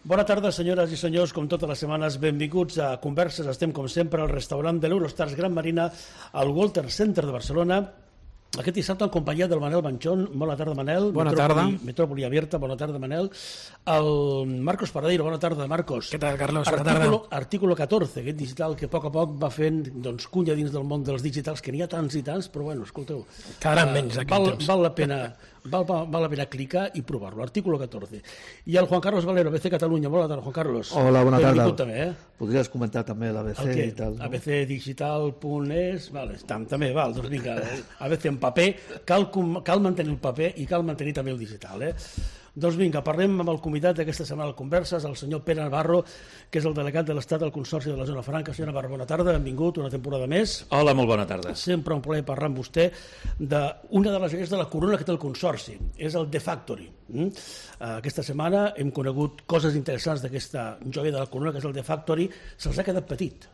Bona tarda, senyores i senyors, com totes les setmanes, benvinguts a Converses. Estem, com sempre, al restaurant de l'Eurostars Gran Marina, al Walter Center de Barcelona. Aquest dissabte en companyia del Manel Banchón. Bona tarda, Manel. Bona tarda. Metrópoli Abierta, bona tarda, Manel. El Marcos Paradeiro, bona tarda, Marcos. Què tal, Carlos? Bona tarda. Artículo 14, aquest digital que a poc va fent cunya dins del món dels digitals, que n'hi ha tants i tants, però bueno, escolteu. Quedaran menys aquest temps. Val la pena clicar i provar-lo. Artículo 14. I el Juan Carlos Valero, ABC Catalunya. Bona tarda, Juan Carlos. Hola, bona tarda. Benvingut també, Podries comentar també l'ABC i tal. No? abcdigital.es, vale, també, val, doncs vinga, ABC en paper, cal mantenir el paper i cal mantenir també el digital, Doncs vinga, parlem amb el convidat d'aquesta setmana al Converses, el senyor Pere Navarro, que és el delegat de l'Estat al Consorci de la Zona Franca. Senyor Navarro, bona tarda, benvingut, una temporada més. Hola, molt bona tarda. Sempre un plaer parlar amb vostè d'una de les joies de la corona que té el Consorci, és el The Factory. Aquesta setmana hem conegut coses interessants d'aquesta joia de la corona, que és el The Factory. Se'ls ha quedat petit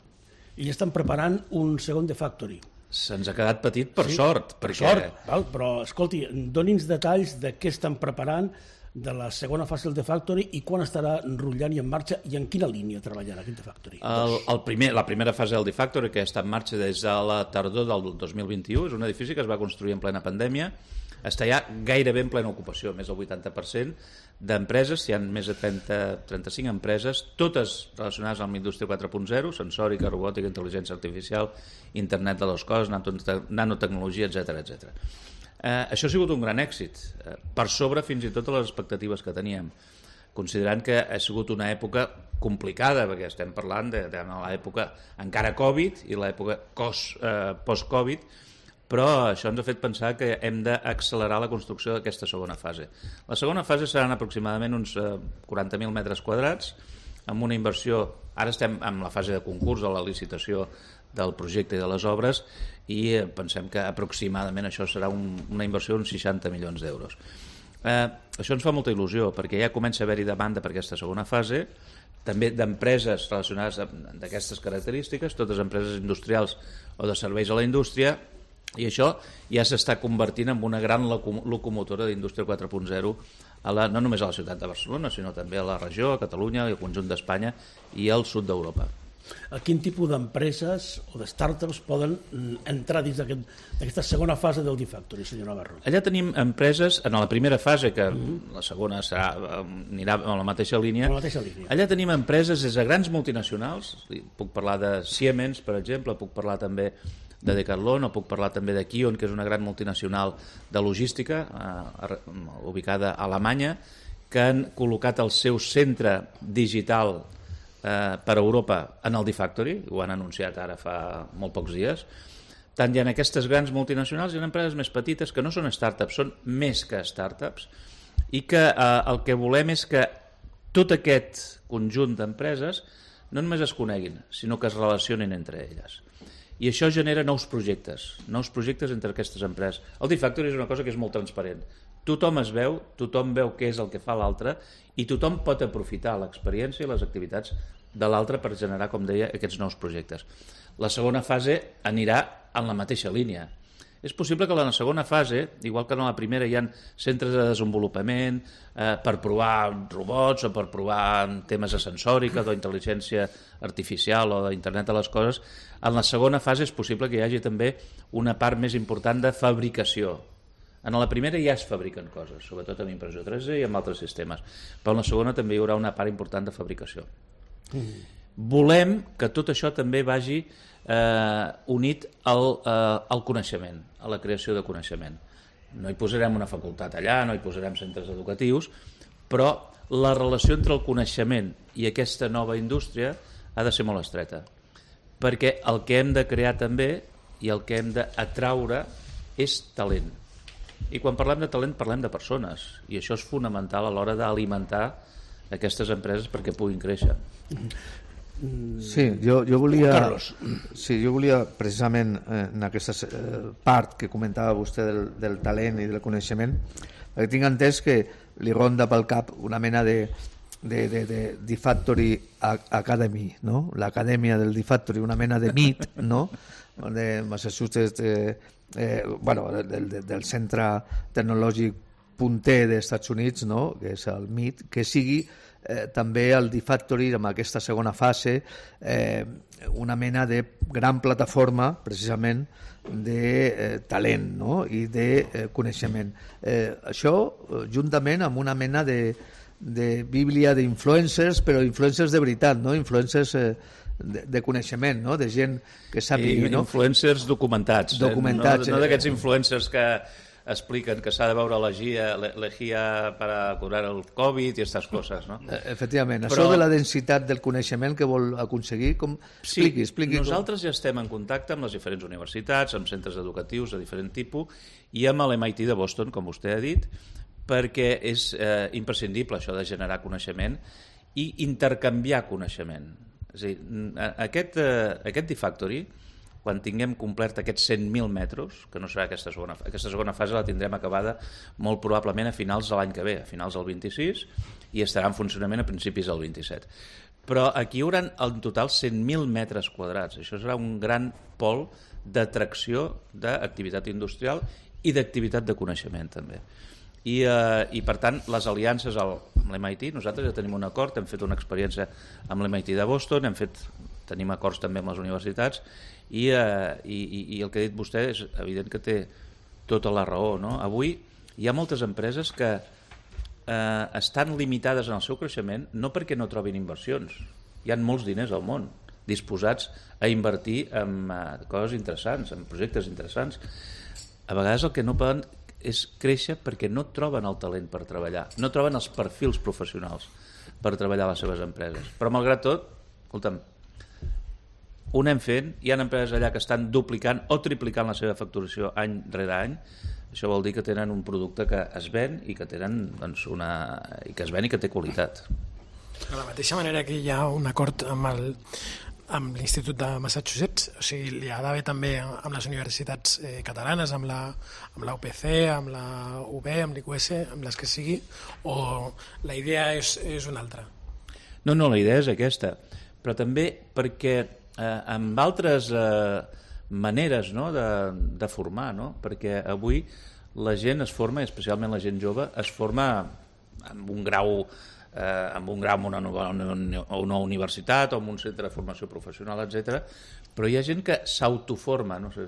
i estan preparant un segon The Factory. Se'ns ha quedat petit per sort. Per sort, val? Però escolti, doni'ns detalls de què estan preparant de la segona fase del The Factory i quan estarà enrotllant i en marxa i en quina línia treballarà aquest The Factory. La primera fase del The Factory, que està en marxa des de la tardor del 2021, és un edifici que es va construir en plena pandèmia, està ja gairebé en plena ocupació, més del 80% d'empreses, hi ha més de 35 empreses, totes relacionades amb la indústria 4.0, sensòrica, robòtica, intel·ligència artificial, internet de les coses, nanotecnologia, etc. Això ha sigut un gran èxit, per sobre fins i tot de les expectatives que teníem, considerant que ha sigut una època complicada, perquè estem parlant de l'època encara Covid i l'època post-Covid, però això ens ha fet pensar que hem d'accelerar la construcció d'aquesta segona fase. La segona fase seran aproximadament uns 40.000 metres quadrats, amb una inversió, ara estem en la fase de concurs, de la licitació del projecte i de les obres, i pensem que aproximadament això serà una inversió d'uns 60 milions d'euros. Això ens fa molta il·lusió, perquè ja comença a haver-hi demanda per aquesta segona fase, també d'empreses relacionades amb aquestes característiques, totes empreses industrials o de serveis a la indústria, i això ja s'està convertint en una gran locomotora d'indústria 4.0 no només a la ciutat de Barcelona, sinó també a la regió, a Catalunya, al conjunt d'Espanya i al sud d'Europa. A quin tipus d'empreses o de startups poden entrar dins d'aquesta segona fase del The Factory, senyor Navarro? Allà tenim empreses, en la primera fase, que la segona anirà a la mateixa línia, allà tenim empreses des de grans multinacionals, puc parlar de Siemens, per exemple, puc parlar també de Decathlon, o puc parlar també de Kion, que és una gran multinacional de logística, ubicada a Alemanya, que han col·locat el seu centre digital per Europa en el The Factory, ho han anunciat ara fa molt pocs dies. Tant hi ha aquestes grans multinacionals, hi ha empreses més petites que no són startups, són més que startups, i que el que volem és que tot aquest conjunt d'empreses no només es coneguin, sinó que es relacionin entre elles. I això genera nous projectes entre aquestes empreses. El The Factory és una cosa que és molt transparent. Tothom es veu, tothom veu què és el que fa l'altre i tothom pot aprofitar l'experiència i les activitats de l'altre per generar, com deia, aquests nous projectes. La segona fase anirà en la mateixa línia. És possible que en la segona fase, igual que en la primera hi ha centres de desenvolupament per provar robots o per provar temes de sensòrica, d'intel·ligència artificial o d'internet de les coses, en la segona fase és possible que hi hagi també una part més important de fabricació. En la primera ja es fabriquen coses, sobretot amb impressió 3D i amb altres sistemes, però en la segona també hi haurà una part important de fabricació. Volem que tot això també vagi unit al coneixement, a la creació de coneixement. No hi posarem una facultat allà, no hi posarem centres educatius, però la relació entre el coneixement i aquesta nova indústria ha de ser molt estreta, perquè el que hem de crear també i el que hem d'atraure és talent. I quan parlem de talent parlem de persones, i això és fonamental a l'hora d'alimentar aquestes empreses perquè puguin créixer. Sí, jo volia precisament en aquesta part que comentava vostè del talent i del coneixement, perquè tinc entès que li ronda pel cap una mena de The Factory Academy, no? L'acadèmia del The Factory, una mena de MIT, no? De Massachusetts, del Centre Tecnològic punter dels Estats Units, no? Que és el MIT, que sigui també el D-Factory, amb aquesta segona fase, una mena de gran plataforma, precisament, de talent, no? I de coneixement. Això, juntament amb una mena de bíblia d'influencers, però influencers de veritat, no? Influencers de coneixement, no? De gent que sàpigui, no? Influencers documentats. Documentats. No d'aquests influencers que expliquen que s'ha de veure l'egia per curar el Covid i aquestes coses, no? Efectivament. Això de la densitat del coneixement que vol aconseguir, com... Expliqui. Nosaltres ja estem en contacte amb les diferents universitats, amb centres educatius de diferent tipus i amb l'MIT de Boston, com vostè ha dit, perquè és imprescindible això de generar coneixement i intercanviar coneixement. És a dir, aquest D-Factory, quan tinguem complert aquests 100.000 metres, que no serà aquesta segona fase la tindrem acabada molt probablement a finals de l'any que ve, a finals del 26, i estarà en funcionament a principis del 27. Però aquí hi haurà en total 100.000 metres quadrats. Això serà un gran pol d'atracció d'activitat industrial i d'activitat de coneixement també. I per tant, les aliances amb l'MIT, nosaltres ja tenim un acord, hem fet una experiència amb l'MIT de Boston, tenim acords també amb les universitats, i el que ha dit vostè és evident que té tota la raó, no? Avui hi ha moltes empreses que estan limitades en el seu creixement no perquè no trobin inversions. Hi ha molts diners al món disposats a invertir en coses interessants, en projectes interessants. A vegades el que no poden és créixer perquè no troben el talent per treballar, no troben els perfils professionals per treballar a les seves empreses. Però malgrat tot, escolta'm, ho anem fent, hi ha empreses allà que estan duplicant o triplicant la seva facturació any rere any. Això vol dir que tenen un producte que es ven i que tenen i que es ven i que té qualitat. De la mateixa manera que hi ha un acord amb l'Institut de Massachusetts, o sigui, hi ha d'haver també amb les universitats catalanes, amb la UPC, amb la UB, amb l'IQS, amb les que sigui, o la idea és una altra? No, la idea és aquesta, però també perquè amb altres maneres, no, de formar, no? Perquè avui la gent es forma, especialment la gent jove, es forma amb un grau en una universitat o en un centre de formació professional, etc. Però hi ha gent que s'autoforma, no sé,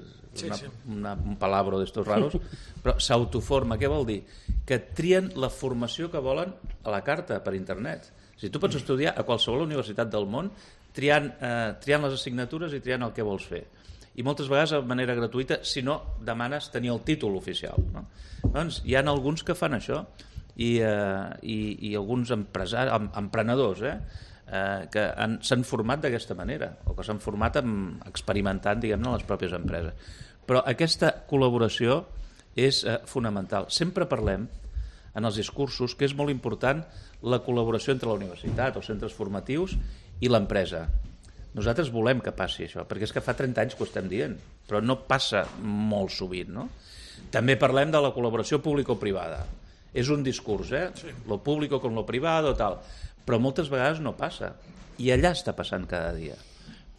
un palabro d'estos raros, però s'autoforma. Què vol dir? Que trien la formació que volen a la carta per internet. Si tu pots estudiar a qualsevol universitat del món triant les assignatures i triant el que vols fer. I moltes vegades de manera gratuïta, si no demanes tenir el títol oficial, no? Doncs hi ha alguns que fan això i alguns emprenedors que s'han format d'aquesta manera o que s'han format experimentant, diguem-ne, en les pròpies empreses. Però aquesta col·laboració és fonamental. Sempre parlem en els discursos que és molt important la col·laboració entre la universitat, els centres formatius i l'empresa. Nosaltres volem que passi això, perquè és que fa 30 anys que ho estem dient, però no passa molt sovint, no? També parlem de la col·laboració público-privada. És un discurs, lo público con lo privado, tal. Però moltes vegades no passa. I allà està passant cada dia.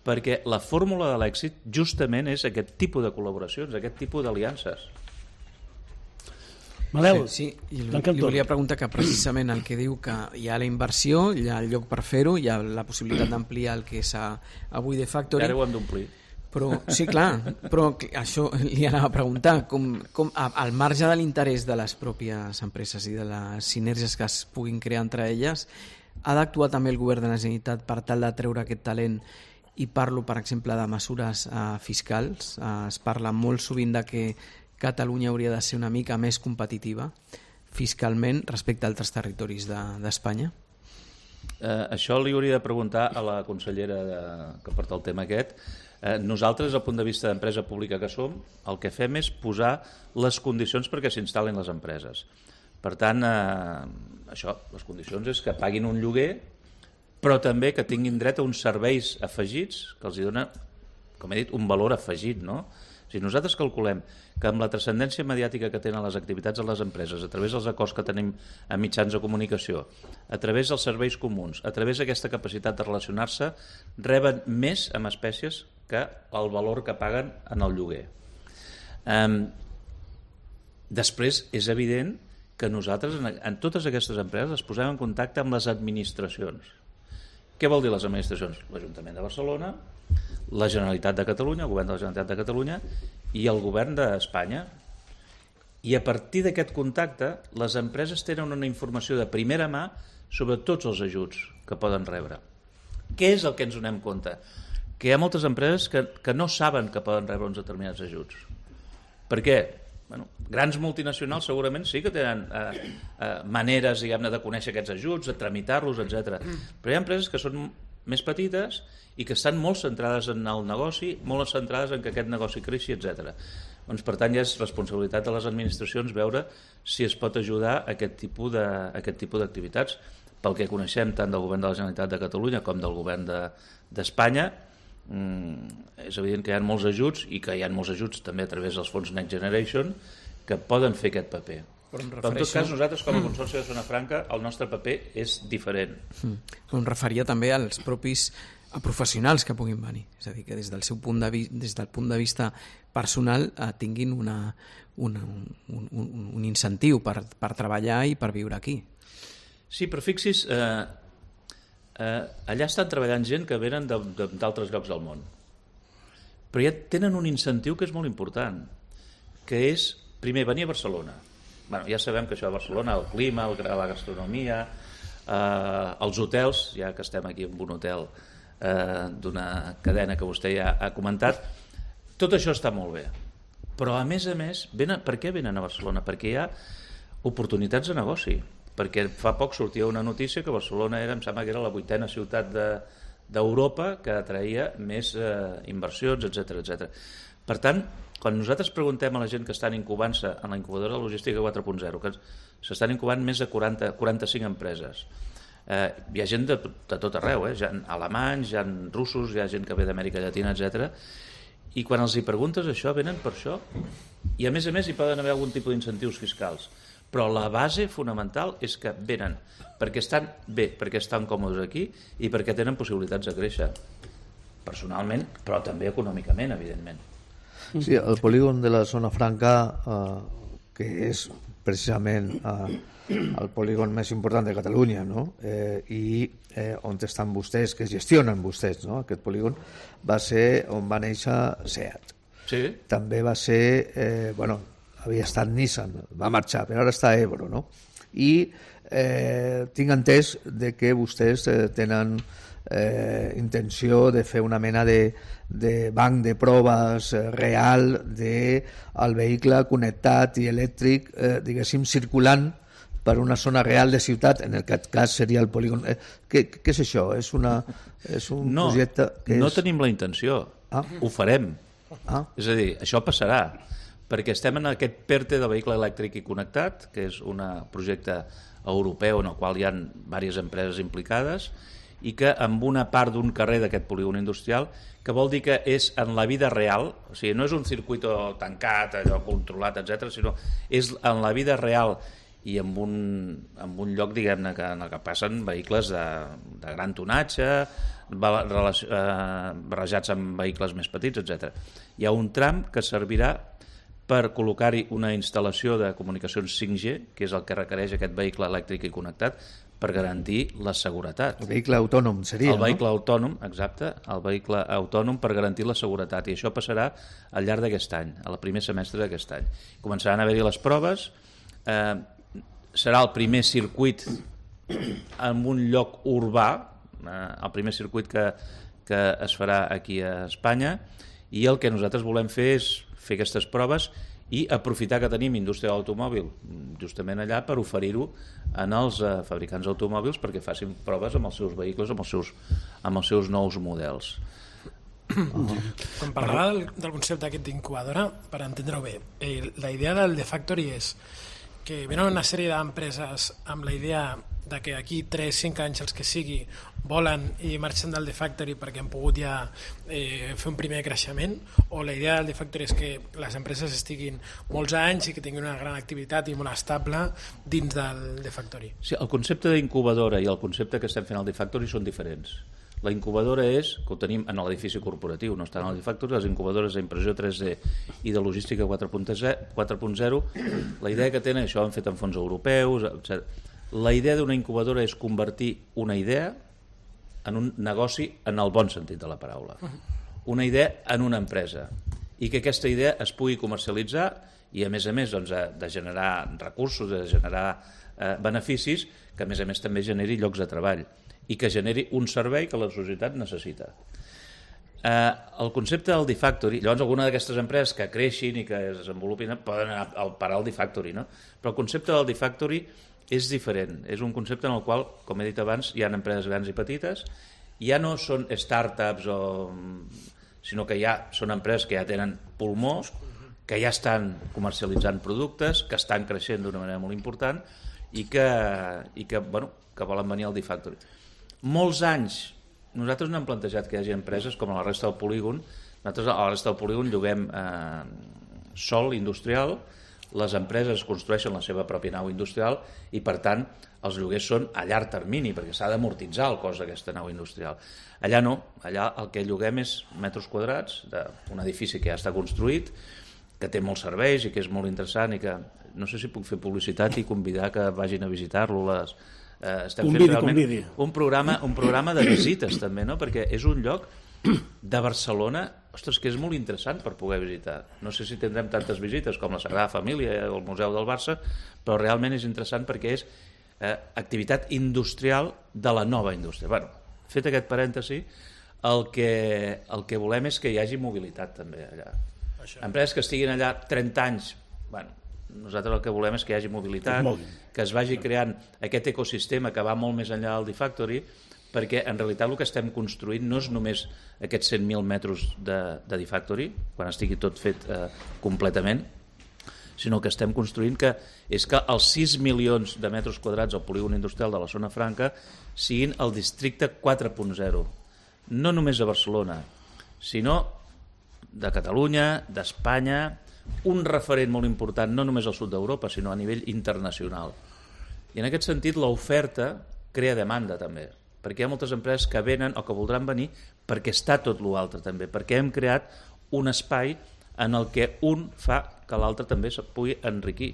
Perquè la fórmula de l'èxit justament és aquest tipus de col·laboracions, aquest tipus d'aliances. Manel, sí, li volia preguntar que precisament el que diu que hi ha la inversió, hi ha el lloc per fer-ho, hi ha la possibilitat d'ampliar el que és avui D-Factory. Ara ho hem d'omplir. Però, sí, clar, però això li anava a preguntar, com al marge de l'interès de les pròpies empreses i de les sinergies que es puguin crear entre elles, ha d'actuar també el govern de la Generalitat per tal de treure aquest talent, i parlo, per exemple, de mesures fiscals. Es parla molt sovint de que Catalunya hauria de ser una mica més competitiva fiscalment respecte a altres territoris d'Espanya? Això li hauria de preguntar a la consellera que porta el tema aquest. Nosaltres, des del punt de vista d'empresa pública que som, el que fem és posar les condicions perquè s'instal·lin les empreses. Per tant, les condicions és que paguin un lloguer, però també que tinguin dret a uns serveis afegits que els dona, com he dit, un valor afegit, no? Si nosaltres calculem que amb la transcendència mediàtica que tenen les activitats de les empreses, a través dels acords que tenim a mitjans de comunicació, a través dels serveis comuns, a través d'aquesta capacitat de relacionar-se, reben més amb espècies que el valor que paguen en el lloguer. Després, és evident que nosaltres en totes aquestes empreses es posem en contacte amb les administracions. Què vol dir les administracions? L'Ajuntament de Barcelona, la Generalitat de Catalunya, el govern de la Generalitat de Catalunya i el govern d'Espanya. I a partir d'aquest contacte, les empreses tenen una informació de primera mà sobre tots els ajuts que poden rebre. Què és el que ens donem compte? Que hi ha moltes empreses que no saben que poden rebre uns determinats ajuts. Per què? Bueno, grans multinacionals segurament sí que tenen maneres, diguem-ne, de conèixer aquests ajuts, de tramitar-los, etc. Però hi ha empreses que són més petites i que estan molt centrades en el negoci, molt centrades en que aquest negoci creixi, etc. Doncs, per tant, ja és responsabilitat de les administracions veure si es pot ajudar a aquest tipus d'activitats. Pel que coneixem tant del govern de la Generalitat de Catalunya com del govern d'Espanya, és evident que hi ha molts ajuts i que hi ha molts ajuts també a través dels fons Next Generation que poden fer aquest paper. Però en tot cas, nosaltres com a Consorci de Zona Franca el nostre paper és diferent. Però em referia també als propis professionals que puguin venir, és a dir, que des del punt de vista personal tinguin un incentiu per treballar i per viure aquí. Sí, però fixi's, allà estan treballant gent que venen d'altres llocs del món, però ja tenen un incentiu que és molt important, que és, primer, venir a Barcelona. Bueno, ja sabem que això a Barcelona, el clima, la gastronomia, els hotels, ja que estem aquí en un hotel d'una cadena que vostè ja ha comentat, tot això està molt bé, però a més, per què venen a Barcelona? Perquè hi ha oportunitats de negoci, perquè fa poc sortia una notícia que Barcelona em sembla que era la 8ª ciutat d'Europa que atraïa més inversions, etc. Per tant, quan nosaltres preguntem a la gent que estan incubant-se en la incubadora de logística 4.0, que s'estan incubant més de 45 empreses, hi ha gent de tot arreu, hi ha alemanys, hi ha russos, hi ha gent que ve d'Amèrica Llatina, etc. I quan els hi preguntes això, venen per això. I a més hi poden haver algun tipus d'incentius fiscals. Però la base fonamental és que venen perquè estan bé, perquè estan còmodes aquí i perquè tenen possibilitats de créixer personalment, però també econòmicament, evidentment. Sí, el polígon de la Zona Franca, que és precisament el polígon més important de Catalunya, no? I on estan vostès, que gestionen vostès, no? Aquest polígon va ser on va néixer SEAT. Sí. També va ser, havia estat Nissan, va marxar, però ara està Ebro, no? I tinc entès de que vostès tenen intenció de fer una mena de banc de proves real del vehicle connectat i elèctric, diguéssim, circulant per una zona real de ciutat, en aquest cas seria el polígon. Què és això? És un projecte que no tenim la intenció, ho farem. És a dir, això passarà, perquè estem en aquest PERTE del vehicle elèctric i connectat, que és un projecte europeu en el qual hi ha diverses empreses implicades i que amb una part d'un carrer d'aquest polígon industrial, que vol dir que és en la vida real, o sigui, no és un circuit tancat, allò controlat, etc., sinó és en la vida real i en un lloc, diguem-ne, en el que passen vehicles de gran tonatge, barrejats amb vehicles més petits, etc. Hi ha un tram que servirà per col·locar-hi una instal·lació de comunicacions 5G, que és el que requereix aquest vehicle elèctric i connectat, per garantir la seguretat. El vehicle autònom seria, no? El vehicle autònom, exacte, el vehicle autònom per garantir la seguretat, i això passarà al llarg d'aquest any, al primer semestre d'aquest any. Començaran a haver-hi les proves, serà el primer circuit en un lloc urbà, el primer circuit que es farà aquí a Espanya, i el que nosaltres volem fer és fer aquestes proves i aprofitar que tenim indústria de l'automòbil justament allà per oferir-ho als fabricants d'automòbils perquè facin proves amb els seus vehicles, amb els seus nous models. Quan parlava del concepte aquest d'incubadora, per entendre-ho bé, la idea del The Factory és que venen una sèrie d'empreses amb la idea de que aquí 3-5 anys els que sigui volen i marxen del The Factory perquè han pogut ja fer un primer creixement, o la idea del The Factory és que les empreses estiguin molts anys i que tinguin una gran activitat i molt estable dins del The Factory? Sí, el concepte d'incubadora i el concepte que estem fent al The Factory són diferents. La incubadora és, que ho tenim en l'edifici corporatiu, no està en l'Edifactory, les incubadores d'impressió 3D i de logística 4.0, la idea que tenen, això ho han fet en fons europeus, etc. La idea d'una incubadora és convertir una idea en un negoci en el bon sentit de la paraula. Una idea en una empresa i que aquesta idea es pugui comercialitzar i a més doncs, de generar recursos, de generar beneficis, que a més també generi llocs de treball i que generi un servei que la societat necessita. El concepte del D-Factory, llavors alguna d'aquestes empreses que creixin i que es desenvolupin poden anar a parar al D-Factory, no? Però el concepte del D-Factory és diferent, és un concepte en el qual, com he dit abans, hi ha empreses grans i petites, ja no són startups, sinó que ja són empreses que ja tenen pulmó, que ja estan comercialitzant productes, que estan creixent d'una manera molt important i que volen venir al D-Factory. Molts anys, nosaltres no hem plantejat que hi hagi empreses com a la resta del polígon. Nosaltres a la resta del polígon lloguem sòl industrial, les empreses construeixen la seva pròpia nau industrial i, per tant, els lloguers són a llarg termini, perquè s'ha d'amortitzar el cost d'aquesta nau industrial. Allà no, allà el que lloguem és metres quadrats d'un edifici que ja està construït, que té molts serveis i que és molt interessant i que no sé si puc fer publicitat i convidar que vagin a visitar-lo. Estem fent realment un programa de visites també, no? Perquè és un lloc de Barcelona, ostres, que és molt interessant per poder visitar. No sé si tindrem tantes visites com la Sagrada Família o el Museu del Barça, però realment és interessant perquè és activitat industrial de la nova indústria. Bueno, fet aquest parèntesi, el que volem és que hi hagi mobilitat també allà. Empreses que estiguin allà 30 anys, bueno, nosaltres el que volem és que hi hagi mobilitat, que es vagi creant aquest ecosistema que va molt més enllà del D-Factory, perquè en realitat el que estem construint no és només aquests 100.000 metres de D-Factory, quan estigui tot fet completament, sinó que estem construint que és que els 6 milions de metres quadrats al polígon industrial de la Zona Franca siguin el districte 4.0, no només a Barcelona, sinó de Catalunya, d'Espanya, un referent molt important no només al sud d'Europa, sinó a nivell internacional. I en aquest sentit l'oferta crea demanda també, perquè hi ha moltes empreses que venen o que voldran venir perquè està tot l'altre també, perquè hem creat un espai en el que un fa que l'altre també se pugui enriquir.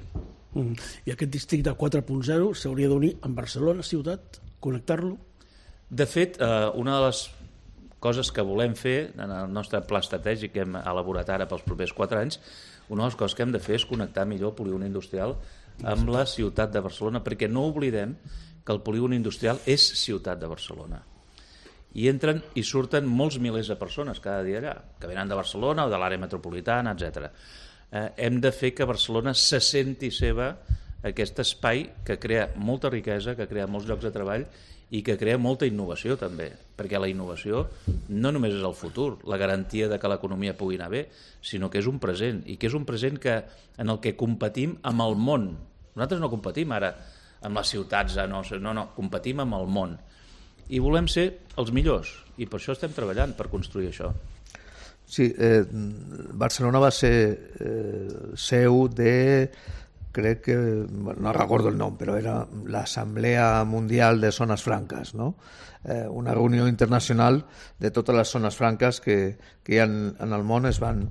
I aquest districte 4.0 s'hauria d'unir amb Barcelona, ciutat, connectar-lo? De fet, una de les coses que volem fer en el nostre pla estratègic que hem elaborat ara pels propers 4 anys, una de les coses que hem de fer és connectar millor el polígon industrial amb la ciutat de Barcelona, perquè no oblidem que el polígon industrial és ciutat de Barcelona. I entren i surten molts milers de persones cada dia allà, que venen de Barcelona o de l'àrea metropolitana, etc. Hem de fer que Barcelona se senti seva aquest espai que crea molta riquesa, que crea molts llocs de treball i que crea molta innovació també, perquè la innovació no només és el futur, la garantia de que l'economia pugui anar bé, sinó que és un present, i que és un present en el que competim amb el món. Nosaltres no competim ara amb les ciutats, no, competim amb el món. I volem ser els millors, i per això estem treballant, per construir això. Sí, Barcelona va ser seu de... crec que, no recordo el nom, però era l'Assemblea Mundial de Zones Franques, no? Una reunió internacional de totes les zones franques que hi ha en el món es van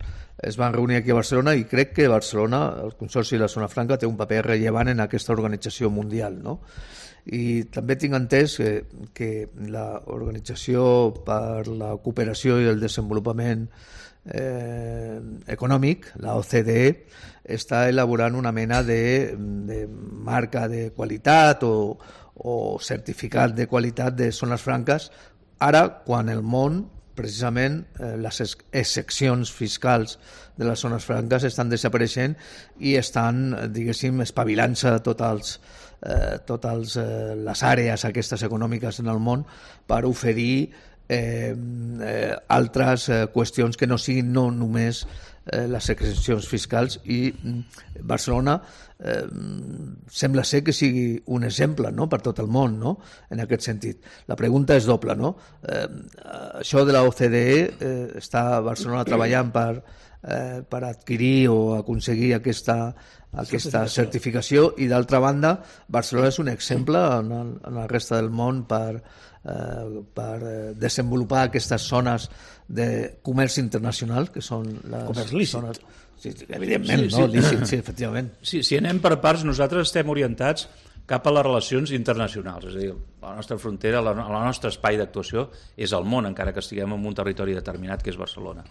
reunir aquí a Barcelona, i crec que Barcelona, el Consorci de la Zona Franca, té un paper rellevant en aquesta organització mundial, no? I també tinc entès que l'Organització per la Cooperació i el Desenvolupament Econòmic, la OCDE, està elaborant una mena de marca de qualitat o certificat de qualitat de zones franques, ara quan el món, precisament, les excepcions fiscals de les zones franques estan desapareixent i estan, diguéssim, espavilant-se totes les àrees aquestes econòmiques en el món per oferir altres qüestions que no siguin no només les excepcions fiscals, i Barcelona sembla ser que sigui un exemple, no?, per tot el món, no?, en aquest sentit. La pregunta és doble, no? Això de la OCDE, està Barcelona treballant per adquirir o aconseguir aquesta certificació, i d'altra banda Barcelona és un exemple en la resta del món per per desenvolupar aquestes zones de comerç internacional, que són les comerç lícit. zones... Sí, evidentment, sí, no? Lícit, sí, efectivament. Sí, si anem per parts, nosaltres estem orientats cap a les relacions internacionals, és a dir, la nostra frontera, el nostre espai d'actuació és el món, encara que estiguem en un territori determinat, que és Barcelona.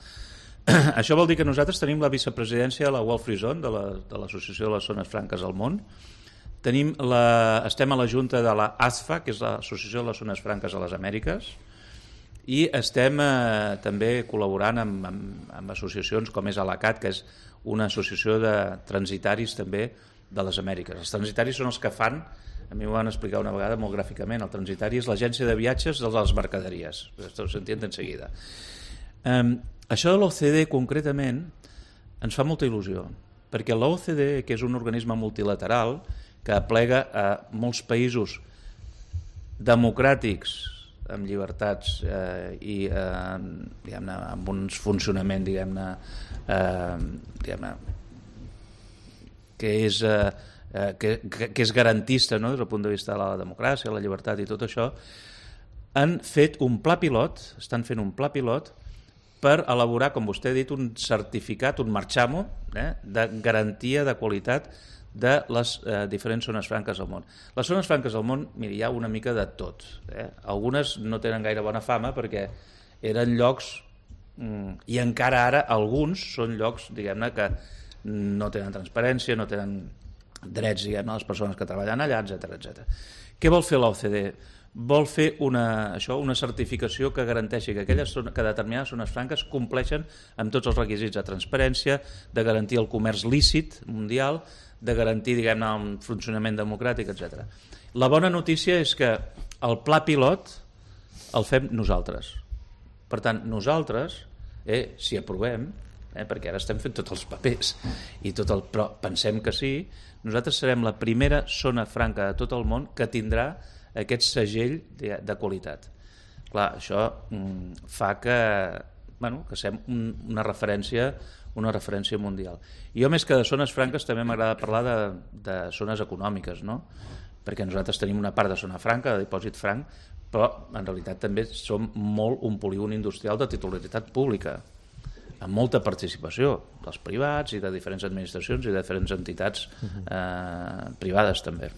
Això vol dir que nosaltres tenim la vicepresidència de la World Free Zone, de l'Associació de les Zones Franques al Món, estem a la junta de la ASFA, que és l'Associació de les Zones Franques a les Amèriques, i estem també col·laborant amb associacions com és ALACAT, que és una associació de transitaris també de les Amèriques. Els transitaris són els que fan, a mi m'ho van explicar una vegada molt gràficament, el transitari és l'agència de viatges de les mercaderies, això s'entén de seguida. Això de l'OCDE concretament ens fa molta il·lusió, perquè l'OCDE, que és un organisme multilateral que aplega a molts països democràtics, amb llibertats i diguem-ne, amb un funcionament diguem-ne que és garantista, no? Des del punt de vista de la democràcia, la llibertat i tot això, han fet un pla pilot, estan fent un pla pilot per elaborar, com vostè ha dit, un certificat, un marxamo de garantia de qualitat de les diferents zones franques al món. Les zones franques al món, miri, hi ha una mica de tot. Algunes no tenen gaire bona fama perquè eren llocs, i encara ara alguns són llocs, diguem-ne, que no tenen transparència, no tenen drets, diguem-ne, a les persones que treballen allà, etc. Què vol fer l'OCDE? Vol fer una certificació que garanteixi que determinades zones franques compleixen amb tots els requisits de transparència, de garantir el comerç lícit mundial, de garantir, diguem-ne, un funcionament democràtic, etc. La bona notícia és que el pla pilot el fem nosaltres. Per tant, nosaltres, si aprovem, perquè ara estem fent tots els papers, però pensem que sí, nosaltres serem la primera zona franca de tot el món que tindrà aquest segell de qualitat. Clar, això fa que siguem una referència mundial. I jo, més que de zones franques, també m'agrada parlar de zones econòmiques, no? Perquè nosaltres tenim una part de zona franca, de dipòsit franc, però en realitat també som molt un polígon industrial de titularitat pública, amb molta participació dels privats i de diferents administracions i de diferents entitats privades també.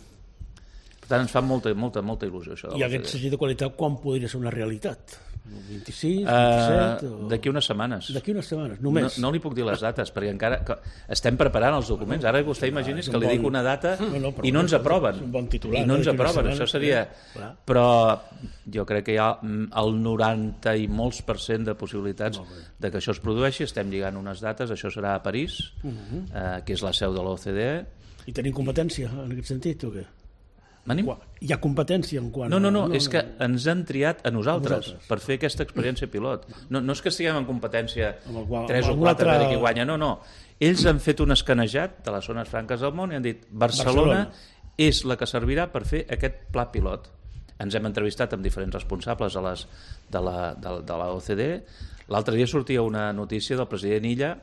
Per tant, ens fa molta il·lusió això. I aquest segell de qualitat quan podria ser una realitat? 26, 27? D'aquí unes setmanes. D'aquí unes setmanes, només? No li puc dir les dates, perquè encara estem preparant els documents. Ara vostè imagini's que li dic una data i no ens aproven. És un bon titular. I no ens aproven, això seria... Però jo crec que hi ha el 90 i molts % de possibilitats de que això es produeixi. Estem lligant unes dates, això serà a París, que és la seu de l'OCDE. I tenim competència en aquest sentit o què? Hi ha competència en quant... No, és que ens han triat a nosaltres per fer aquesta experiència pilot. No és que estiguem en competència 3 o 4 a veure qui guanya, no. Ells han fet un escanejat de les zones franques del món i han dit Barcelona és la que servirà per fer aquest pla pilot. Ens hem entrevistat amb diferents responsables de la OCDE. L'altre dia sortia una notícia del president Illa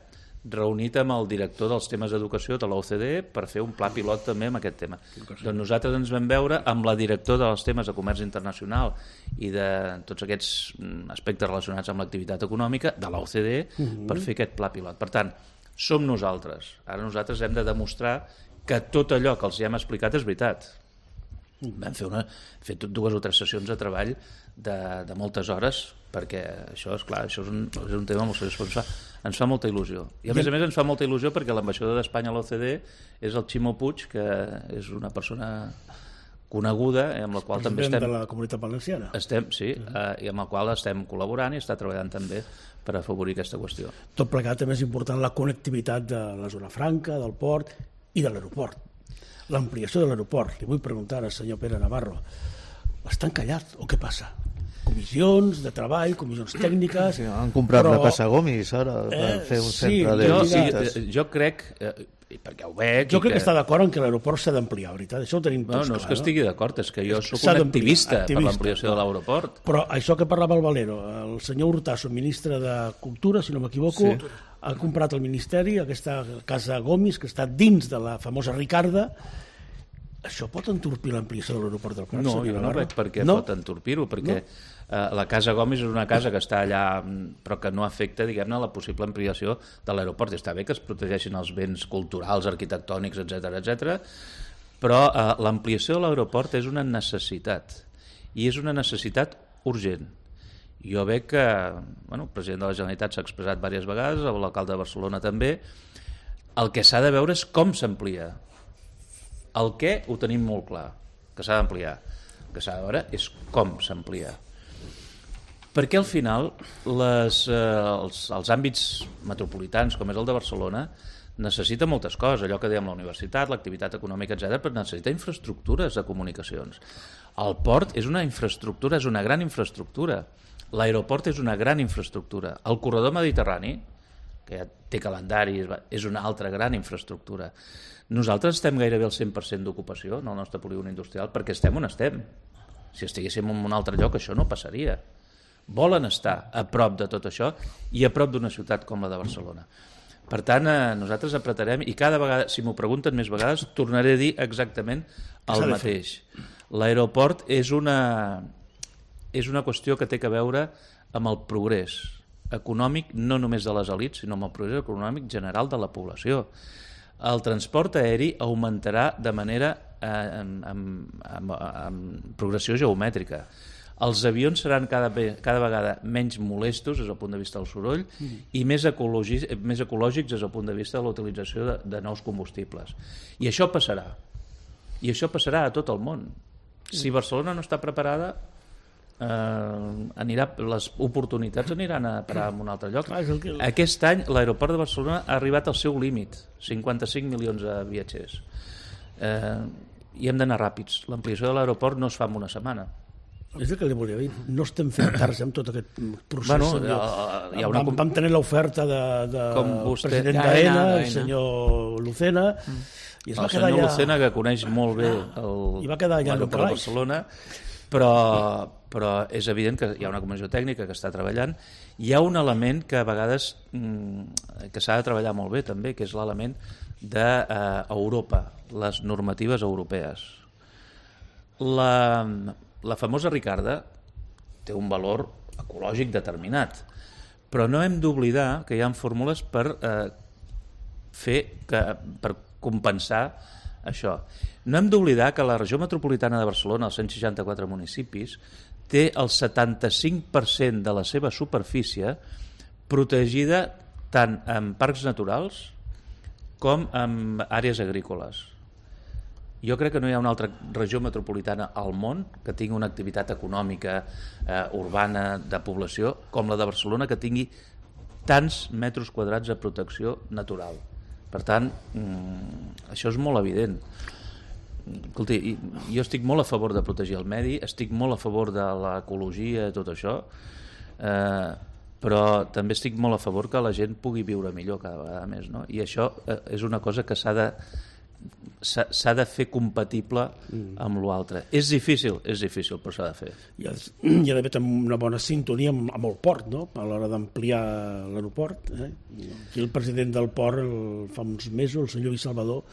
reunit amb el director dels temes d'educació de l'OCDE per fer un pla pilot també amb aquest tema. Doncs nosaltres ens vam veure amb la directora dels temes de comerç internacional i de tots aquests aspectes relacionats amb l'activitat econòmica de l'OCDE per fer aquest pla pilot. Per tant, som nosaltres. Ara nosaltres hem de demostrar que tot allò que els hem explicat és veritat. Vam fer 2 o 3 sessions de treball de moltes hores perquè això és clar, això és un tema molt seriós, ens fa molta il·lusió i a més ens fa molta il·lusió perquè l'ambaixador d'Espanya a l'OCDE és el Ximo Puig, que és una persona coneguda amb la qual també estem... de la Comunitat Valenciana. Sí, i amb el qual estem col·laborant i està treballant també per afavorir aquesta qüestió. Tot plegat també és important la connectivitat de la zona franca, del port i de l'aeroport. L'ampliació de l'aeroport. Li vull preguntar al senyor Pere Navarro, està encallat o què passa? Comissions de treball, comissions tècniques... Sí, han comprat la Casa Gomis ara per fer un centre de visites. Jo crec, perquè ho veig... Jo crec que està d'acord en que l'aeroport s'ha d'ampliar, veritat? Això ho tenim tots clar. No és que estigui d'acord, és que jo soc un activista per l'ampliació de l'aeroport. Però això que parlava el Valero, el senyor Hurtasso, ministre de Cultura, si no m'equivoco, ha comprat el Ministeri aquesta Casa Gomis, que està dins de la famosa Ricarda, Això pot entorpir l'ampliació de l'aeroport del Prat? No, jo no veig per què pot entorpir-ho, perquè la Casa Gomis és una casa que està allà, però que no afecta, diguem-ne, la possible ampliació de l'aeroport. Està bé que es protegeixin els béns culturals, arquitectònics, etc, però l'ampliació de l'aeroport és una necessitat, i és una necessitat urgent. Jo veig que el president de la Generalitat s'ha expressat diverses vegades, l'alcalde de Barcelona també. El que s'ha de veure és com s'amplia. El què ho tenim molt clar, que s'ha d'ampliar. El que s'ha de veure és com s'amplia. Perquè al final els àmbits metropolitans, com és el de Barcelona, necessita moltes coses, allò que dèiem la universitat, l'activitat econòmica, etc, però necessita infraestructures de comunicacions. El port és una infraestructura, és una gran infraestructura. L'aeroport és una gran infraestructura. El corredor mediterrani, que ja té calendari, és una altra gran infraestructura. Nosaltres estem gairebé al 100% d'ocupació en el nostre polígon industrial perquè estem on estem. Si estiguéssim en un altre lloc això no passaria. Volen estar a prop de tot això i a prop d'una ciutat com la de Barcelona. Per tant, nosaltres apretarem i cada vegada, si m'ho pregunten més vegades, tornaré a dir exactament el mateix. L'aeroport és una qüestió que té a veure amb el progrés econòmic, no només de les elits, sinó amb el progrés econòmic general de la població. El transport aeri augmentarà de manera amb progressió geomètrica. Els avions seran cada vegada menys molestos des del punt de vista del soroll i més ecològics des del punt de vista de la utilització de nous combustibles. I això passarà. I això passarà a tot el món. Si Barcelona no està preparada, les oportunitats aniran a parar en un altre lloc. Aquest any l'aeroport de Barcelona ha arribat al seu límit, 55 milions de viatgers, i hem d'anar ràpids. L'ampliació de l'aeroport no es fa en una setmana. És el que li volia dir, no estem fent tard amb tot aquest procés. Vam tenir l'oferta del president d'AENA, el senyor Lucena, i el senyor Lucena, que coneix molt bé l'aeroport de Barcelona, però és evident que hi ha una comissió tècnica que està treballant. Hi ha un element que a vegades que s'ha de treballar molt bé també, que és l'element d'Europa, les normatives europees. La famosa Ricarda té un valor ecològic determinat, però no hem d'oblidar que hi ha fórmules per compensar això. No hem d'oblidar que la regió metropolitana de Barcelona, els 164 municipis, té el 75% de la seva superfície protegida tant en parcs naturals com en àrees agrícoles. Jo crec que no hi ha una altra regió metropolitana al món que tingui una activitat econòmica urbana de població com la de Barcelona, que tingui tants metres quadrats de protecció natural. Per tant, això és molt evident. Escolti, jo estic molt a favor de protegir el medi, estic molt a favor de l'ecologia i tot això, però també estic molt a favor que la gent pugui viure millor cada vegada més, no? I això és una cosa que s'ha de fer compatible amb l'altre. És difícil, però s'ha de fer. Hi ha d'haver una bona sintonia amb el port, no? A l'hora d'ampliar l'aeroport. Aquí el president del port, fa uns mesos, el senyor Lluís Salvador,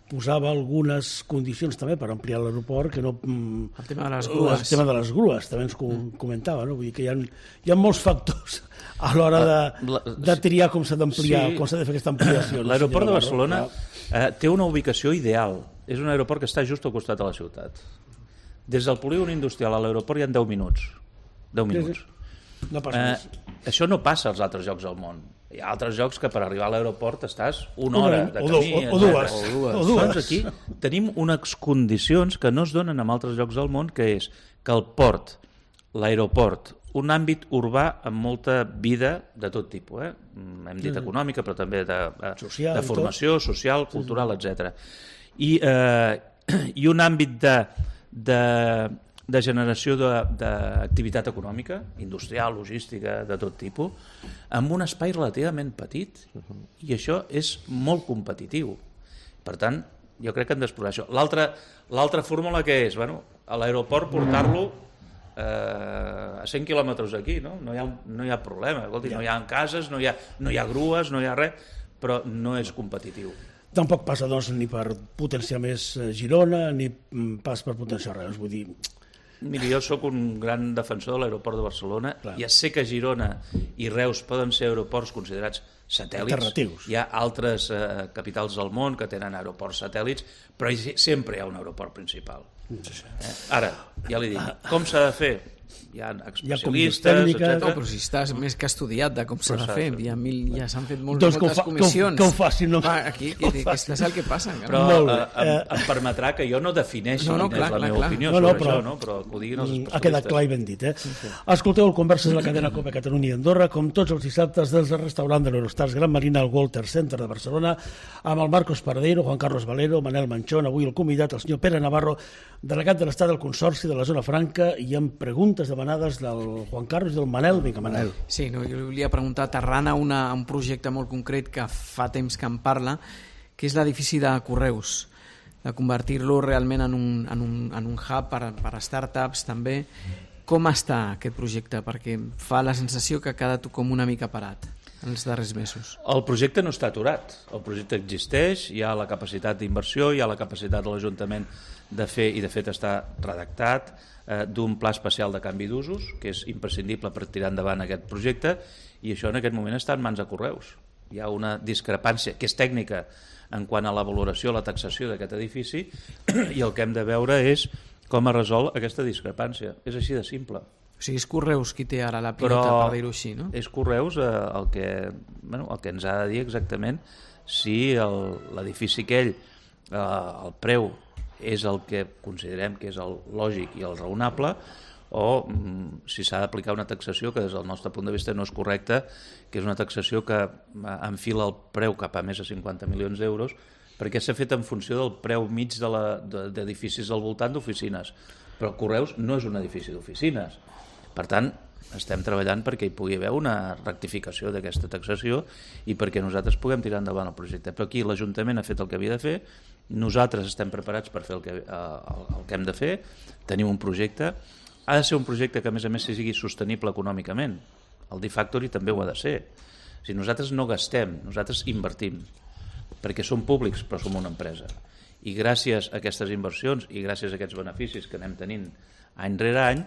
posava algunes condicions també per ampliar l'aeroport, que no... El tema de les grues. El tema de les grues, també ens comentava, no? Vull dir que hi ha molts factors a l'hora de triar com s'ha d'ampliar, com s'ha de fer aquesta ampliació. L'aeroport de Barcelona té una ubicació ideal. És un aeroport que està just al costat de la ciutat. Des del polígon industrial a l'aeroport hi ha 10 minuts. 10 minuts. No passa més. Això no passa als altres llocs del món. Hi ha altres llocs que per arribar a l'aeroport estàs una hora de camí. O dues. Doncs aquí tenim unes condicions que no es donen en altres llocs del món, que és que el port, l'aeroport, un àmbit urbà amb molta vida de tot tipus, hem dit econòmica, però també de formació, social, cultural, etc. I un àmbit de generació d'activitat econòmica, industrial, logística, de tot tipus, amb un espai relativament petit, i això és molt competitiu. Per tant, jo crec que hem d'explorar això. L'altra fórmula que és, a l'aeroport portar-lo a 100 quilòmetres d'aquí, no hi ha problema. Escolti, no hi ha cases, no hi ha grues, no hi ha res, però no és competitiu. Tampoc passa doncs ni per potenciar més Girona ni pas per potenciar Reus, vull dir... Miri, jo sóc un gran defensor de l'aeroport de Barcelona. Ja sé que Girona i Reus poden ser aeroports considerats satèl·lits. Hi ha altres capitals del món que tenen aeroports satèl·lits, però sempre hi ha un aeroport principal. Ara, ja li dic, com s'ha de fer? Hi ha especialistes, etc. No, però si estàs més que estudiat de com s'ha de fer, ja s'han fet moltes comissions. Que ho facin, no? Aquí és el que passa. Però em permetrà que jo no defineixi quina és la meva opinió sobre això, però que ho diguin els especialistes. Ha quedat clar i ben dit. Escolteu el Converses de la cadena COPE Catalunya i Andorra, com tots els dissabtes des del restaurant de l'Eurostars Gran Marina al Walter Center de Barcelona, amb el Marcos Paradero, Juan Carlos Valero, Manel Manchón, avui el convidat, el senyor Pere Navarro, delegat de l'Estat del Consorci de la Zona Franca, i amb preguntes demanades del Juan Carlos i del Manel. Vinga, Manel. Sí, jo li volia preguntar, aterrant a un projecte molt concret que fa temps que em parla, que és l'edifici de Correus, de convertir-lo realment en un hub per a startups també. Com està aquest projecte? Perquè fa la sensació que ha quedat com una mica parat en els darrers mesos. El projecte no està aturat, el projecte existeix, hi ha la capacitat d'inversió, hi ha la capacitat de l'Ajuntament de fer, i de fet està redactat, d'un pla especial de canvi d'usos, que és imprescindible per tirar endavant aquest projecte, i això en aquest moment està en mans de Correus. Hi ha una discrepància que és tècnica en quant a la valoració, la taxació d'aquest edifici, i el que hem de veure és com es resol aquesta discrepància. És així de simple. O sigui, és Correus qui té ara la pilota, per dir-ho així, no? És Correus el que ens ha de dir exactament si l'edifici aquell, el preu és el que considerem que és el lògic i el raonable, o si s'ha d'aplicar una taxació que des del nostre punt de vista no és correcta, que és una taxació que enfila el preu cap a més de 50 milions d'euros, perquè s'ha fet en funció del preu mig d'edificis al voltant d'oficines. Però Correus no és un edifici d'oficines. Per tant, estem treballant perquè hi pugui haver una rectificació d'aquesta taxació i perquè nosaltres puguem tirar endavant el projecte. Però aquí l'Ajuntament ha fet el que havia de fer, nosaltres estem preparats per fer el que hem de fer, tenim un projecte, ha de ser un projecte que a més sigui sostenible econòmicament. El D-Factory també ho ha de ser. Si nosaltres no gastem, nosaltres invertim, perquè som públics però som una empresa. I gràcies a aquestes inversions i gràcies a aquests beneficis que anem tenint any rere any,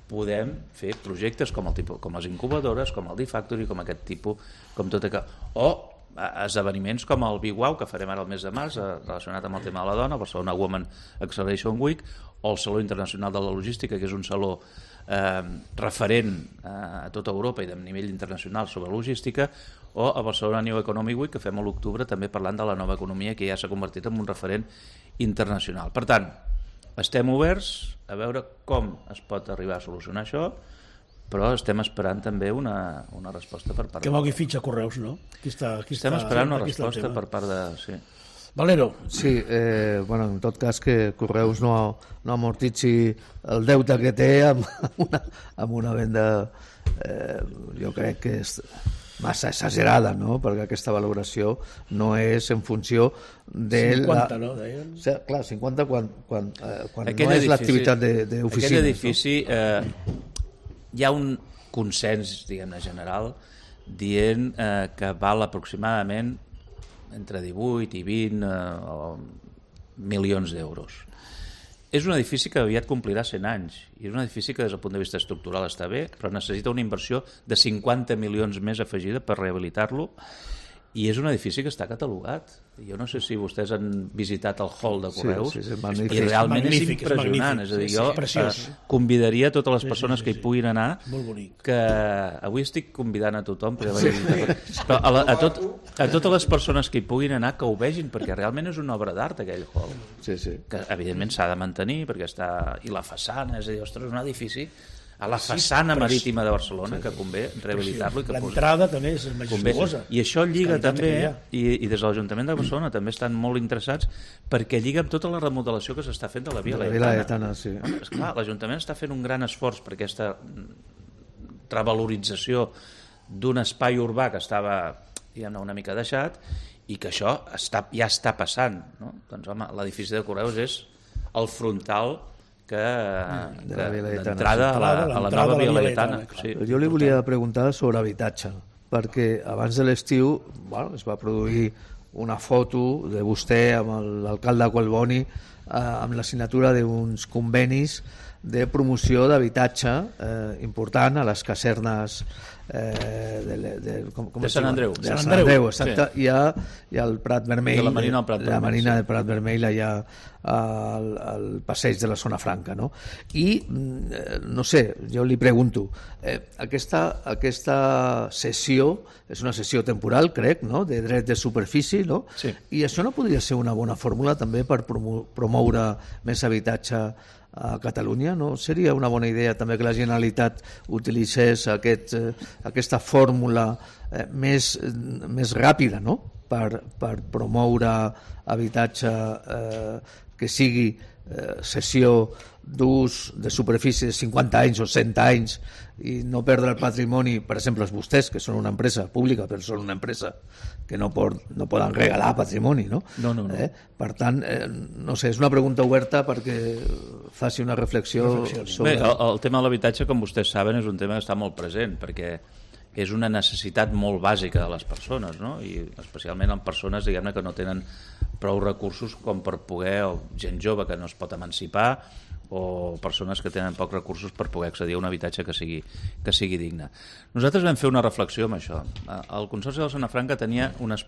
podem fer projectes com les incubadores, com el D-Factory, com aquest tipus, com tot aquest... O esdeveniments com el Big Wow, que farem ara el mes de març, relacionat amb el tema de la dona, el Barcelona Women Acceleration Week, o el Saló Internacional de la Logística, que és un saló referent a tota Europa i de nivell internacional sobre logística, o el Barcelona New Economic Week, que fem a l'octubre també parlant de la nova economia, que ja s'ha convertit en un referent internacional. Per tant, estem oberts a veure com es pot arribar a solucionar això, però estem esperant també una resposta per part que mogui fitxa Correus, no? Estem esperant una resposta per part de... Sí. Valero. Sí, en tot cas que Correus no amortitzi el deute que té amb una venda jo crec que és massa exagerada, no? Perquè aquesta valoració no és en funció de 50, no? Deien? O sigui, clar, 50 quan no és l'activitat d'oficina. Aquest edifici... Hi ha un consens, diguem-ne, general, dient que val aproximadament entre 18 i 20 milions d'euros. És un edifici que aviat complirà 100 anys, i és un edifici que des del punt de vista estructural està bé, però necessita una inversió de 50 milions més afegida per rehabilitar-lo, i és un edifici que està catalogat. Jo no sé si vostès han visitat el hall de Correus, i realment és impressionant. És a dir, jo convidaria totes les persones que hi puguin anar, que avui estic convidant a tothom, però a totes les persones que hi puguin anar que ho vegin, perquè realment és una obra d'art aquell hall, que evidentment s'ha de mantenir, perquè està... I la façana, és a dir, ostres, un edifici a la façana marítima de Barcelona, que convé rehabilitar-lo. L'entrada també és majestuosa. I això lliga també, i des de l'Ajuntament de Barcelona també estan molt interessats, perquè lliga amb tota la remodelació que s'està fent de la Via Laietana. Esclar, l'Ajuntament està fent un gran esforç per aquesta revalorització d'un espai urbà que estava, diguem-ne, una mica deixat, i que això ja està passant. Doncs, home, l'edifici de Correus és el frontal d'entrada a la nova Via Laietana. Jo li volia preguntar sobre habitatge, perquè abans de l'estiu es va produir una foto de vostè amb l'alcalde Collboni amb la signatura d'uns convenis de promoció d'habitatge important a les casernes de Sant Andreu. De Sant Andreu, exacte. Sí. I al Prat Vermell, de la Marina del Prat Vermell, la Marina del Prat Vermell, allà al passeig de la Zona Franca, no? I, no sé, jo li pregunto, aquesta cessió és una cessió temporal, crec, no? De dret de superfície, no? Sí. I això no podria ser una bona fórmula també per promoure més habitatge a Catalunya, no? Seria una bona idea també que la Generalitat utilitzés aquesta fórmula més ràpida, no? Per promoure habitatge que sigui cessió d'ús de superfície de 50 anys o 100 anys i no perdre el patrimoni, per exemple, vostès, que són una empresa pública, però són una empresa que no poden regalar patrimoni, no? No. Per tant, no sé, és una pregunta oberta perquè faci una reflexió sobre... Bé, el tema de l'habitatge, com vostès saben, és un tema que està molt present, perquè és una necessitat molt bàsica de les persones, no? I especialment en persones, diguem-ne, que no tenen prou recursos com per poder, o gent jove que no es pot emancipar, o persones que tenen pocs recursos per poder accedir a un habitatge que sigui digne. Nosaltres vam fer una reflexió amb això. El Consorci de la Zona Franca té unes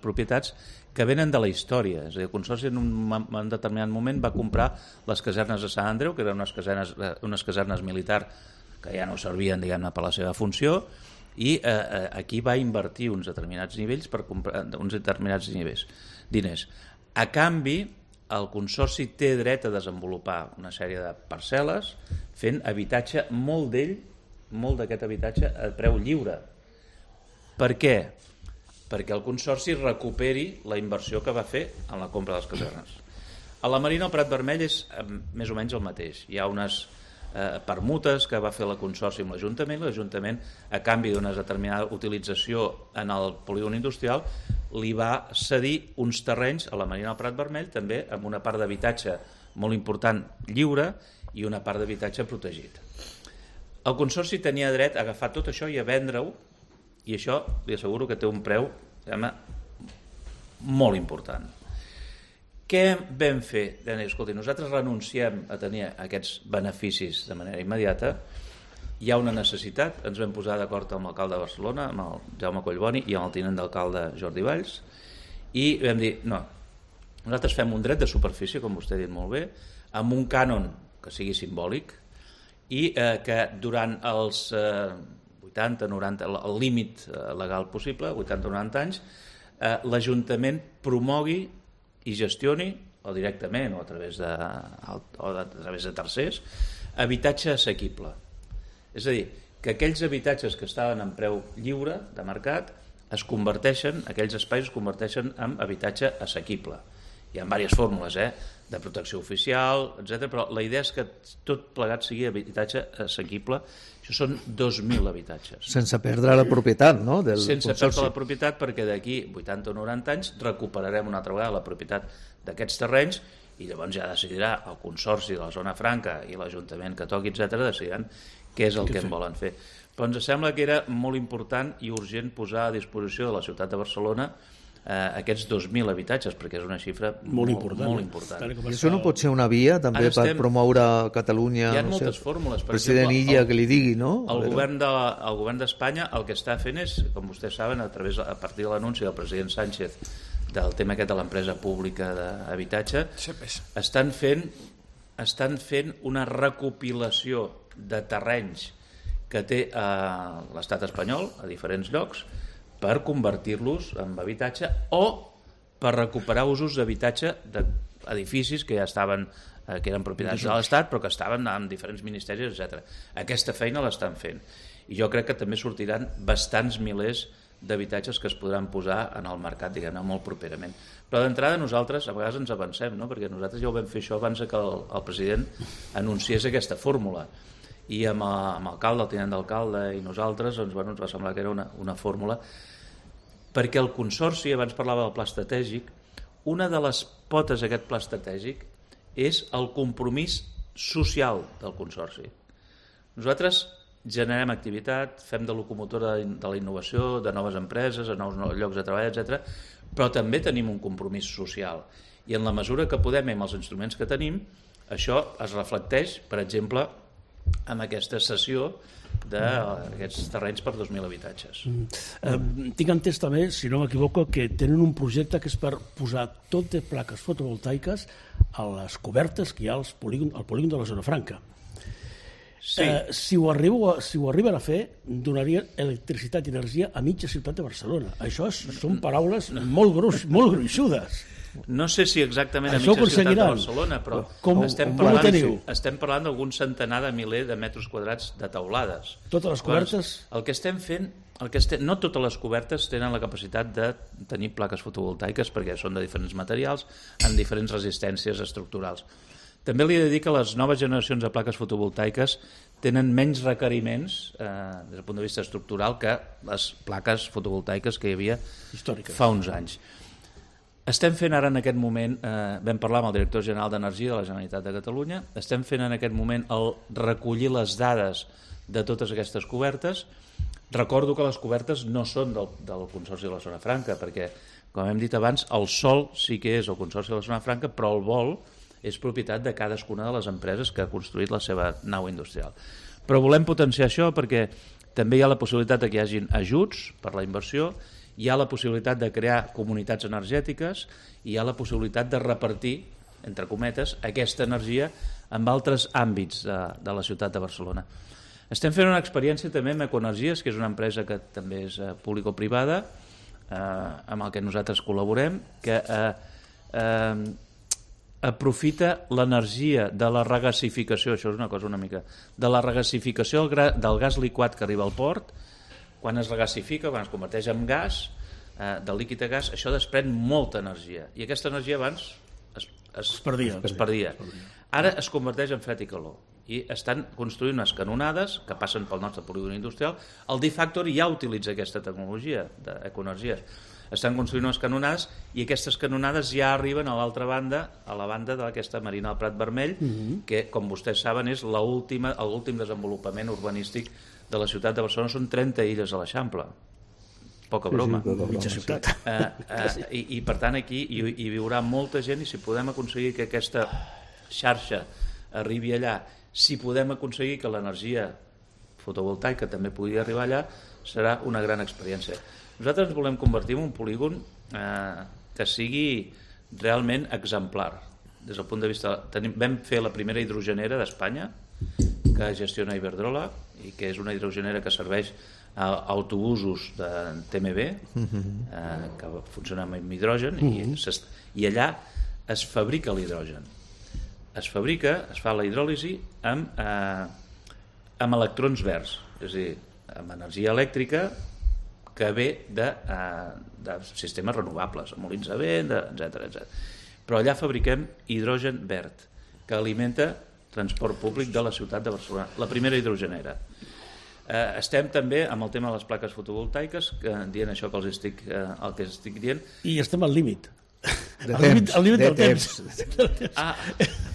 propietats que venen de la història. És a dir, el Consorci en un determinat moment va comprar les casernes de Sant Andreu, que eren unes casernes militars que ja no servien, diguem-ne, per la seva funció, i aquí va invertir uns determinats nivells per comprar uns determinats diners. A canvi, el Consorci té dret a desenvolupar una sèrie de parcel·les fent habitatge, molt d'aquest habitatge a preu lliure. Per què? Perquè el Consorci recuperi la inversió que va fer en la compra de les casernes. A la Marina del Prat Vermell és més o menys el mateix. Hi ha unes permutes que va fer el Consorci amb l'Ajuntament, a canvi d'una determinada utilització en el polígon industrial, li va cedir uns terrenys a la Marina del Prat Vermell, també amb una part d'habitatge molt important lliure i una part d'habitatge protegit. El Consorci tenia dret a agafar tot això i a vendre-ho, i això li asseguro que té un preu molt important. Què vam fer? Escolti, nosaltres renunciem a tenir aquests beneficis de manera immediata, hi ha una necessitat, ens vam posar d'acord amb l'alcalde de Barcelona, amb el Jaume Collboni i amb el tinent d'alcalde Jordi Valls, i vam dir, no, nosaltres fem un dret de superfície, com vostè ha dit molt bé, amb un cànon que sigui simbòlic i que durant els 80-90, el límit legal possible, 80-90 anys, l'Ajuntament promogui i gestioni, o directament o a través de tercers, habitatge assequible. És a dir, que aquells habitatges que estaven en preu lliure de mercat aquells espais es converteixen en habitatge assequible. Hi ha diverses fórmules, de protecció oficial, etc. Però la idea és que tot plegat sigui habitatge assequible. Això són 2.000 habitatges. Sense perdre la propietat, no? Sense perdre la propietat, perquè d'aquí 80 o 90 anys recuperarem una altra vegada la propietat d'aquests terrenys i llavors ja decidirà el Consorci de la Zona Franca i l'Ajuntament que toqui, etc., decidiran què és el que en volen fer. Però ens sembla que era molt important i urgent posar a disposició de la ciutat de Barcelona aquests 2.000 habitatges, perquè és una xifra molt important. I això no pot ser una via també per promoure Catalunya? Hi ha moltes fórmules. El president Illa que li digui, no? El govern d'Espanya el que està fent és, com vostès saben, a partir de l'anunci del president Sánchez del tema aquest de l'empresa pública d'habitatge, estan fent una recopilació de terrenys que té l'estat espanyol a diferents llocs per convertir-los en habitatge o per recuperar usos d'habitatge d'edificis que ja estaven, que eren propietats de l'Estat però que estaven en diferents ministeris, etc. Aquesta feina l'estan fent i jo crec que també sortiran bastants milers d'habitatges que es podran posar en el mercat, diguem-ne, molt properament. Però d'entrada nosaltres a vegades ens avancem, no? Perquè nosaltres ja ho vam fer això abans que el president anunciés aquesta fórmula i amb l'alcalde, el tinent d'alcalde i nosaltres ens va semblar que era una fórmula, perquè el Consorci, abans parlava del pla estratègic, una de les potes d'aquest pla estratègic és el compromís social del Consorci. Nosaltres generem activitat, fem de locomotora de la innovació, de noves empreses, de nous llocs de treball, etc. Però també tenim un compromís social. I en la mesura que podem, amb els instruments que tenim, això es reflecteix, per exemple, amb aquesta cessió d'aquests terrenys per 2.000 habitatges. Tinc entès també, si no m'equivoco, que tenen un projecte que és per posar tot de plaques fotovoltaiques a les cobertes que hi ha al polígon de la Zona Franca. Sí. Si ho arriben a fer, donarien electricitat i energia a mitja ciutat de Barcelona. Això són paraules molt gruixudes. No sé si exactament a mitja ciutat de Barcelona, però estem parlant d'algun centenar de miler de metres quadrats de teulades. Totes les cobertes? El que estem fent, no totes les cobertes tenen la capacitat de tenir plaques fotovoltaiques perquè són de diferents materials, amb diferents resistències estructurals. També li he de dir que les noves generacions de plaques fotovoltaiques tenen menys requeriments des del punt de vista estructural que les plaques fotovoltaiques que hi havia fa uns anys. Estem fent ara en aquest moment, vam parlar amb el director general d'Energia de la Generalitat de Catalunya, estem fent en aquest moment el recollir les dades de totes aquestes cobertes. Recordo que les cobertes no són del Consorci de la Zona Franca, perquè, com hem dit abans, el sòl sí que és el Consorci de la Zona Franca, però el vol és propietat de cadascuna de les empreses que ha construït la seva nau industrial. Però volem potenciar això perquè també hi ha la possibilitat que hi hagin ajuts per la inversió, hi ha la possibilitat de crear comunitats energètiques i hi ha la possibilitat de repartir, entre cometes, aquesta energia en altres àmbits de la ciutat de Barcelona. Estem fent una experiència també amb Ecoenergies, que és una empresa que també és público-privada, amb el que nosaltres col·laborem, que aprofita l'energia de la regasificació, això és una cosa una mica, de la regasificació del gas liquat que arriba al port. Quan es regasifica, quan es converteix en gas, del líquid a gas, això desprèn molta energia. I aquesta energia abans es perdia. Ara es converteix en fred i calor. I estan construint unes canonades que passen pel nostre polígon industrial. El D-Factory ja utilitza aquesta tecnologia d'Ecoenergies. Estan construint unes canonades i aquestes canonades ja arriben a l'altra banda, a la banda d'aquesta Marina del Prat Vermell, que, com vostès saben, és l'últim desenvolupament urbanístic de la ciutat de Barcelona. Són 30 illes a l'Eixample. Poca broma. Mitja ciutat. I per tant aquí hi viurà molta gent i si podem aconseguir que aquesta xarxa arribi allà, si podem aconseguir que l'energia fotovoltaica també pugui arribar allà, serà una gran experiència. Nosaltres ens volem convertir en un polígon que sigui realment exemplar. Des del punt de vista... Vam fer la primera hidrogenera d'Espanya, que gestiona Iberdrola, i que és una hidrogenera que serveix a autobusos de TMB, que funcionen amb hidrogen, i allà es fabrica l'hidrogen. Es fa la hidròlisi amb electrons verds, és a dir, amb energia elèctrica que ve de sistemes renovables, molins de vent, etc. Però allà fabriquem hidrogen verd, que alimenta transport públic de la ciutat de Barcelona, la primera hidrogenera. Estem també amb el tema de les plaques fotovoltaiques, dient això que el que estic dient. I estem al límit. Al límit del temps.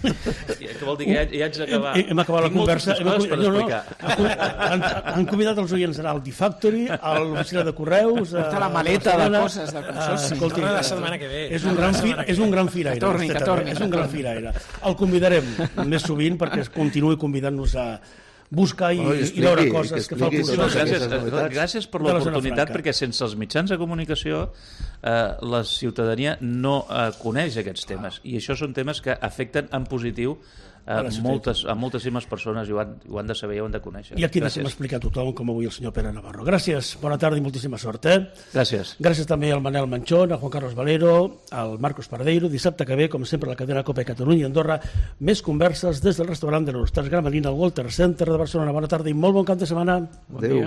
Què vol dir que ja haig d'acabar? Hem acabat la conversa. Han convidat els oients a anar al D-Factory, a l'oficina de correus, a la maleta de coses del consorci. Escolti, la setmana que ve. És un gran firaire. Que torni. És un gran firaire. El convidarem més sovint perquè continuï convidant-nos a buscar i veure coses que fa el Consorci. Gràcies per l'oportunitat, perquè sense els mitjans de comunicació la ciutadania no coneix aquests temes, i això són temes que afecten en positiu a moltíssimes persones i ho han de saber i ho han de conèixer. I aquí deixem explicar a tothom, com avui el senyor Pere Navarro. Gràcies, bona tarda i moltíssima sort. Gràcies. Gràcies també al Manel Manchón, al Juan Carlos Valero, al Marcos Paradeiro. Dissabte que ve, com sempre, a la cadena COPE Catalunya i Andorra, més converses des del restaurant de l'Hostal Gramenet al Walter Center de Barcelona. Bona tarda i molt bon cap de setmana. Adéu.